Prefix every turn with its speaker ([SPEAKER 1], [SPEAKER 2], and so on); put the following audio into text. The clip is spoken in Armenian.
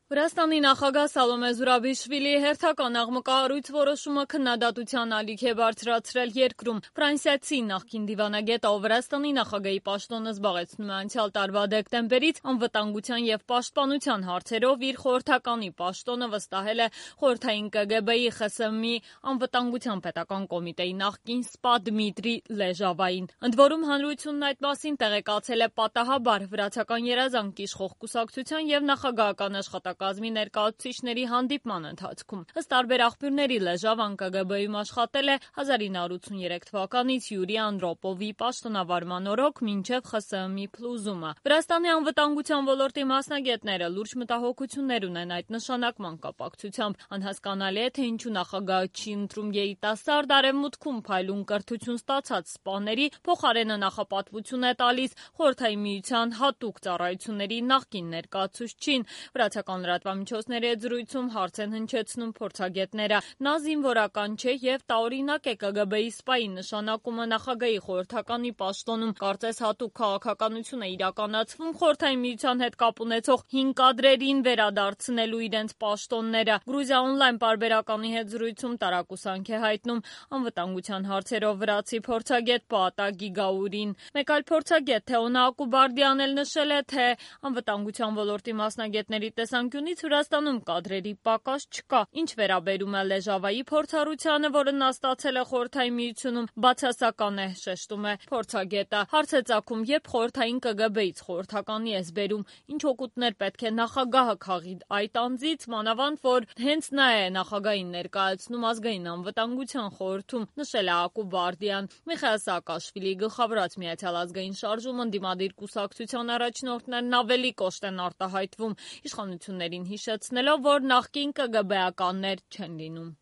[SPEAKER 1] Վրաստանի նախագահ Սալոմե Զուրաբիշվիլիի հերթական աղմկահարույց որոշումը քննադատության ալիք է բարձրացրել երկրում։ Ֆրանսիացի նախկին դիվանագետը, ով Վրաստանի նախագահի պաշտոնը զբաղեցնում է անցյալ տարվա դեկտեմբերից, անվտանգության և պաշտպանության հարցերով իր խորհրդականի պաշտոնը վստահել է խորհրդային ԿԳԲ-ի ԽՍՀՄ-ի անվտանգության պետական կոմիտեի նախկին սպա Դմիտրի Լեժավային։ Ընդ որում, հանրությունն այդ մասին տեղեկացել է պատահաբար վրացական երազանք իշխող կուսակցության և նախագահական աշխատակազմի ներկայացուցիչների հանդիպման ընթացքում։ Ըստ տարբեր աղբյուրների, Լեժավան ԿԳԲ-ում աշխատել է 1983 թվականից Յուրի Անդրոպովի պաշտոնավարման օրոք մինչև ԽՍՀՄ-ի փլուզումը։ Վրաստանի անվտանգության ոլորտի մասնագետները լուրջ մտահոգություններ ունեն այդ նշանակման կապակցությամբ։ Անհասկանալի է, թե ինչու նախագահը չի ընտրում երիտասարդ արևմուտքում փայլուն կրթություն ստացած սպաների, փոխարենը նախապատվություն է տալիս Խորհրդային Միության հատուկ ծառայությունների նախկին ներկայացուցչին։ Վրացական լրատվամիջոցների հետ զրույցում հարց են հնչեցնում փորձագետները։ Նա զինվորական չէ և տարօրինակ է ԿԳԲ-ի սպայի նշանակումը նախագահի խորհրդականի պաշտոնում։ Կարծես հատուկ քաղաքականություն է իրականացվում Խորհրդային Միության հետ կապ ունեցող հին կադրերին վերադարձնելու իրենց պաշտոնները։ Գրուզիա օնլայն պարբերականի հետ զրույցում տարակուսանք է հայտնում անվտանգության հարցերով վրացի փորձագետ Պաատա Գիգաուրին։ Մեկ այլ փորձագետ Թեոնա Ակուբարդյանն էլ նշել է, թե անվտանգության ոլորտի մասնագետների տեսանկյունից Վրաստանում կադրերի պակաս չկա։ Ինչ վերաբերում է Լեժավայի փորձառությանը, որը նա ստացել է Խորհրդային Միությունում, բացասական է, շեշտում է փորձագետը։ Հարց է ծագում, երբ խորհրդային ԿԳԲ-ից խորհրդականի ես բերում, ինչ օգուտներ պետք է նախագահը քաղի այդ անձից, մանավանդ որ հենց նա է նախագահին ներկայացնում ազգային անվտանգության խորհրդում, նշել է Ակուբարդյան։ Միխայիլ Սաակաշվիլիի գլխավորած Միացյալ ազգային շարժում ընդդիմադիր կուսակցության առաջնորդներն ավելի կոշտ են արտահայտվում, իշխանություններին հիշեցնելով, որ նախկին ԿԳԲ-ականներ չեն լինում։